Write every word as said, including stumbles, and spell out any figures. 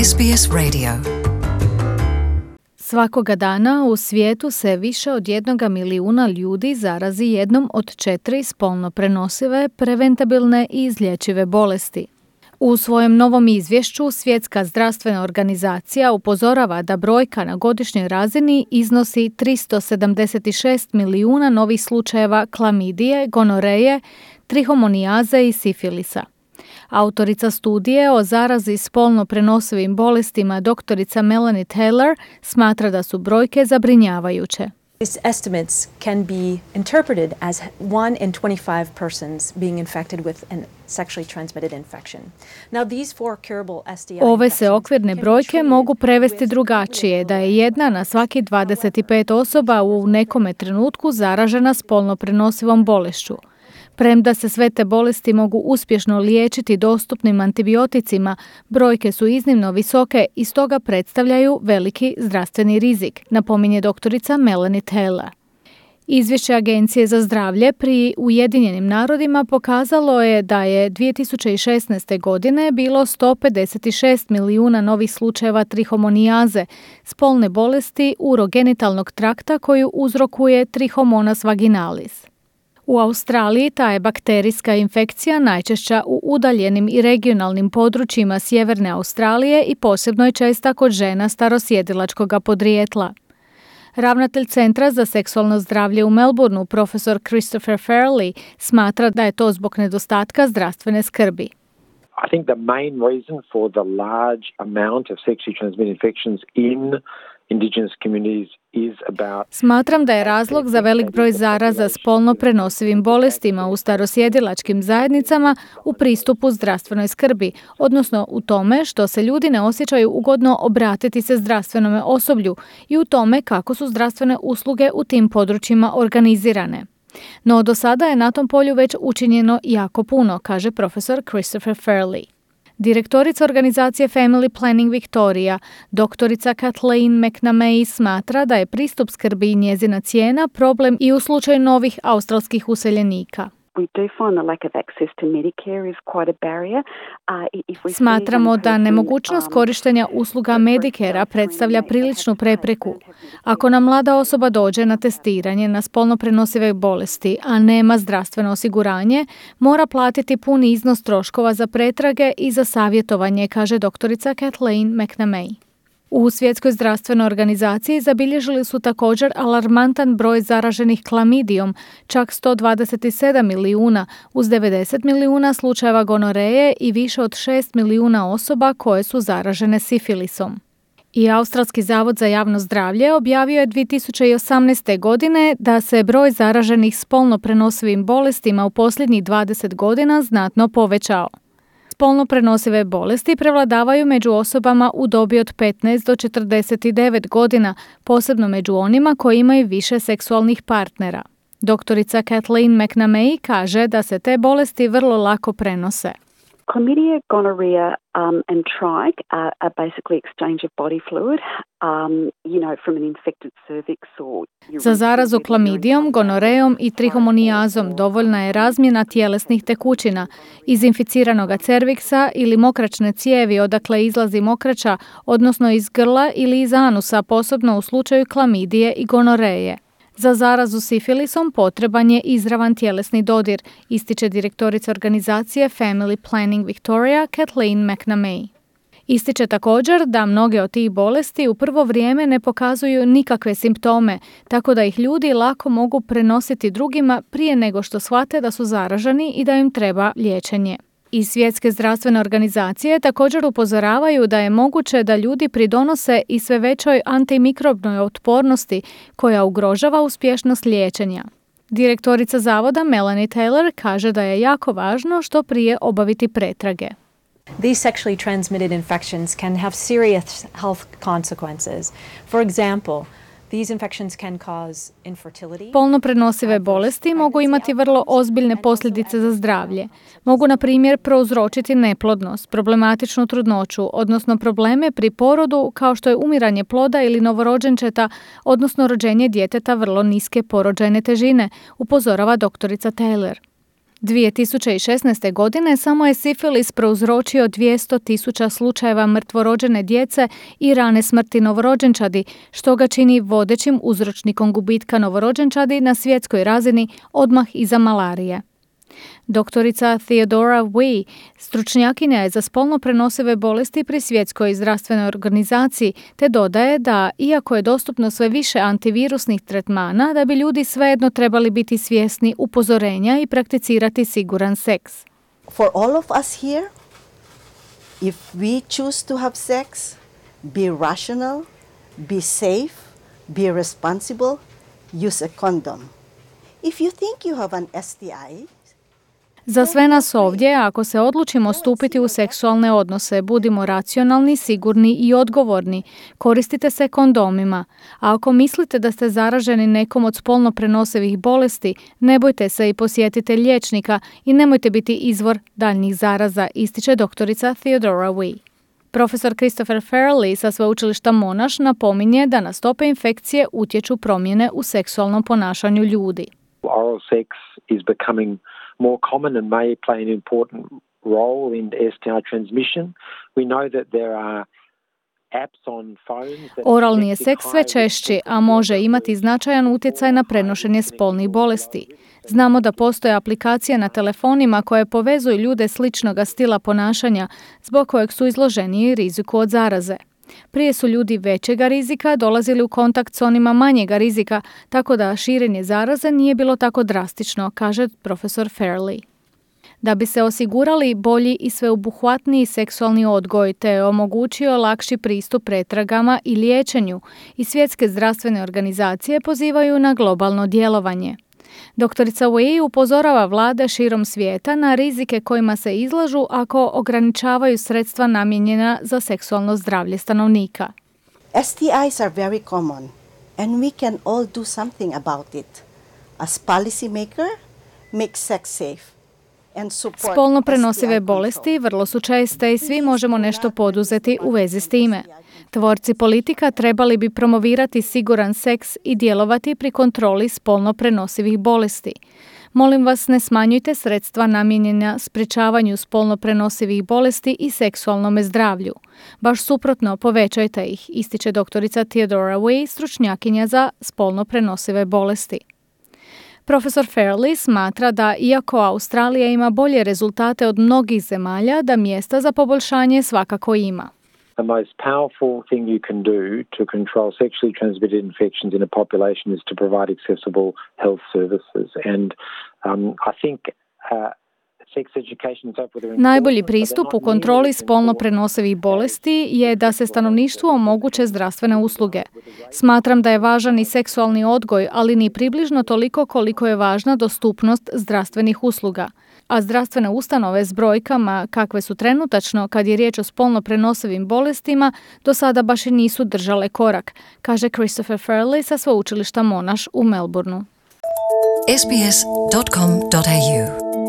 S B S Radio. Svakoga dana u svijetu se više od jednoga milijuna ljudi zarazi jednom od četiri spolno prenosive, preventabilne i izlječive bolesti. U svojem novom izvješću Svjetska zdravstvena organizacija upozorava da brojka na godišnjoj razini iznosi tristo sedamdeset šest milijuna novih slučajeva klamidije, gonoreje, trihomonijaze i sifilisa. Autorica studije o zarazi spolno prenosivim bolestima doktorica Melanie Taylor smatra da su brojke zabrinjavajuće. These estimates can be interpreted as one in twenty-five persons being infected with an sexually transmitted infection. Now these four curable S T I Ove se okvirne brojke mogu prevesti drugačije, da je jedna na svaki dvadeset pet osoba u nekome trenutku zaražena spolno prenosivom bolešću. Premda se sve te bolesti mogu uspješno liječiti dostupnim antibioticima, brojke su iznimno visoke i stoga predstavljaju veliki zdravstveni rizik, napominje doktorica Melanie Taylor. Izvješće Agencije za zdravlje pri Ujedinjenim narodima pokazalo je da je dvije tisuće šesnaeste. godine bilo sto pedeset šest milijuna novih slučajeva trihomonijaze, spolne bolesti urogenitalnog trakta koju uzrokuje Trichomonas vaginalis. U Australiji ta je bakterijska infekcija najčešća u udaljenim i regionalnim područjima sjeverne Australije i posebno je česta kod žena starosjedilačkog podrijetla. Ravnatelj Centra za seksualno zdravlje u Melbourneu, profesor Christopher Fairley, smatra da je to zbog nedostatka zdravstvene skrbi. I think the main reason for the large amount of sexually transmitted infections in Indigenous communities is about... Smatram da je razlog za velik broj zaraza spolno prenosivim bolestima u starosjedilačkim zajednicama u pristupu zdravstvenoj skrbi, odnosno u tome što se ljudi ne osjećaju ugodno obratiti se zdravstvenome osoblju i u tome kako su zdravstvene usluge u tim područjima organizirane. No do sada je na tom polju već učinjeno jako puno, kaže profesor Christopher Fairley. Direktorica organizacije Family Planning Victoria, doktorica Kathleen McNamee, smatra da je pristup skrbi i njezina cijena problem i u slučaju novih australskih useljenika. Smatramo da nemogućnost korištenja usluga Medicarea predstavlja priličnu prepreku. Ako nam mlada osoba dođe na testiranje na spolno prenosive bolesti, a nema zdravstveno osiguranje, mora platiti puni iznos troškova za pretrage i za savjetovanje, kaže doktorica Kathleen McNamee. U Svjetskoj zdravstvenoj organizaciji zabilježili su također alarmantan broj zaraženih klamidijom, čak sto dvadeset sedam milijuna, uz devedeset milijuna slučajeva gonoreje i više od šest milijuna osoba koje su zaražene sifilisom. I Australski zavod za javno zdravlje objavio je dvije tisuće osamnaeste. godine da se broj zaraženih spolno prenosivim bolestima u posljednjih dvadeset godina znatno povećao. Spolno prenosive bolesti prevladavaju među osobama u dobi od petnaest do četrdeset devet godina, posebno među onima koji imaju više seksualnih partnera. Doktorica Kathleen McNamee kaže da se te bolesti vrlo lako prenose. Chlamydia, gonorrhea um, and trich are, are basically exchange of body fluid, um, you know, from an infected cervix or... Za zarazu klamidijom, gonorejom i trihomonijazom dovoljna je razmjena tjelesnih tekućina iz inficiranog cerviksa ili mokračne cijevi odakle izlazi mokrača, odnosno iz grla ili iz anusa, posebno u slučaju klamidije i gonoreje. Za zarazu sifilisom potreban je izravan tjelesni dodir, ističe direktorica organizacije Family Planning Victoria Kathleen McNamee. Ističe također da mnoge od tih bolesti u prvo vrijeme ne pokazuju nikakve simptome, tako da ih ljudi lako mogu prenositi drugima prije nego što shvate da su zaraženi i da im treba liječenje. Iz Svjetske zdravstvene organizacije također upozoravaju da je moguće da ljudi pridonose i sve većoj antimikrobnoj otpornosti koja ugrožava uspješnost liječenja. Direktorica zavoda Melanie Taylor kaže da je jako važno što prije obaviti pretrage. These sexually transmitted infections can have serious health consequences. For example, these infections can cause infertility. Spolno prenosive bolesti mogu imati vrlo ozbiljne posljedice za zdravlje. Mogu, na primjer, prouzročiti neplodnost, problematičnu trudnoću, odnosno probleme pri porodu kao što je umiranje ploda ili novorođenčeta, odnosno rođenje djeteta vrlo niske porođajne težine, upozorava doktorica Taylor. dvije tisuće šesnaeste. godine samo je sifilis prouzročio dvjesto tisuća slučajeva mrtvorođene djece i rane smrti novorođenčadi, što ga čini vodećim uzročnikom gubitka novorođenčadi na svjetskoj razini odmah iza malarije. Doktorica Theodora Wee, stručnjakinja je za spolno prenosive bolesti pri Svjetskoj zdravstvenoj organizaciji, te dodaje da, iako je dostupno sve više antivirusnih tretmana, da bi ljudi svejedno trebali biti svjesni upozorenja i prakticirati siguran seks. For all of us here, if we choose to have sex, be rational, be safe, be responsible, use a condom. If you think you have an S T I, za sve nas ovdje, ako se odlučimo stupiti u seksualne odnose, budimo racionalni, sigurni i odgovorni. Koristite se kondomima. A ako mislite da ste zaraženi nekom od spolno prenosivih bolesti, ne bojte se i posjetite liječnika i nemojte biti izvor daljnjih zaraza, ističe doktorica Theodora Wee. Profesor Christopher Farrelly sa sveučilišta Monash napominje da na stope infekcije utječu promjene u seksualnom ponašanju ljudi. Oral sex is becoming more common and may play an important role in S T I transmission. We know that there are apps on phones that Oralni je seks sve češći, a može imati značajan utjecaj na prenošenje spolnih bolesti. Znamo da postoje aplikacije na telefonima koje povezuju ljude sličnoga stila ponašanja, zbog kojeg su izloženiji riziku od zaraze. Prije su ljudi većega rizika dolazili u kontakt s onima manjega rizika, tako da širenje zaraze nije bilo tako drastično, kaže profesor Farrelly. Da bi se osigurali bolji i sveobuhvatniji seksualni odgoj te omogućio lakši pristup pretragama i liječenju, i svjetske zdravstvene organizacije pozivaju na globalno djelovanje. Doktorica Wee upozorava vlade širom svijeta na rizike kojima se izlažu ako ograničavaju sredstva namijenjena za seksualno zdravlje stanovnika. S T Is are very common and we can all do something about it. As policy maker, make sex safe. Spolno prenosive bolesti vrlo su česte i svi možemo nešto poduzeti u vezi s time. Tvorci politika trebali bi promovirati siguran seks i djelovati pri kontroli spolno prenosivih bolesti. Molim vas, ne smanjujte sredstva namijenjena sprječavanju spolno prenosivih bolesti i seksualnome zdravlju. Baš suprotno, povećajte ih, ističe doktorica Theodora Wee, stručnjakinja za spolno prenosive bolesti. Profesor Farrelly smatra da, iako Australija ima bolje rezultate od mnogih zemalja, da mjesta za poboljšanje svakako ima. The most powerful thing you can do to control sexually transmitted infections in a population is to provide accessible health services. And um, I think uh, Najbolji pristup u kontroli spolno prenosivih bolesti je da se stanovništvu omoguće zdravstvene usluge. Smatram da je važan i seksualni odgoj, ali ni približno toliko koliko je važna dostupnost zdravstvenih usluga. A zdravstvene ustanove s brojkama kakve su trenutačno kad je riječ o spolno prenosivim bolestima do sada baš i nisu držale korak, kaže Christopher Farrelly sa sveučilišta Monash u Melbourneu. S B S dot com dot A U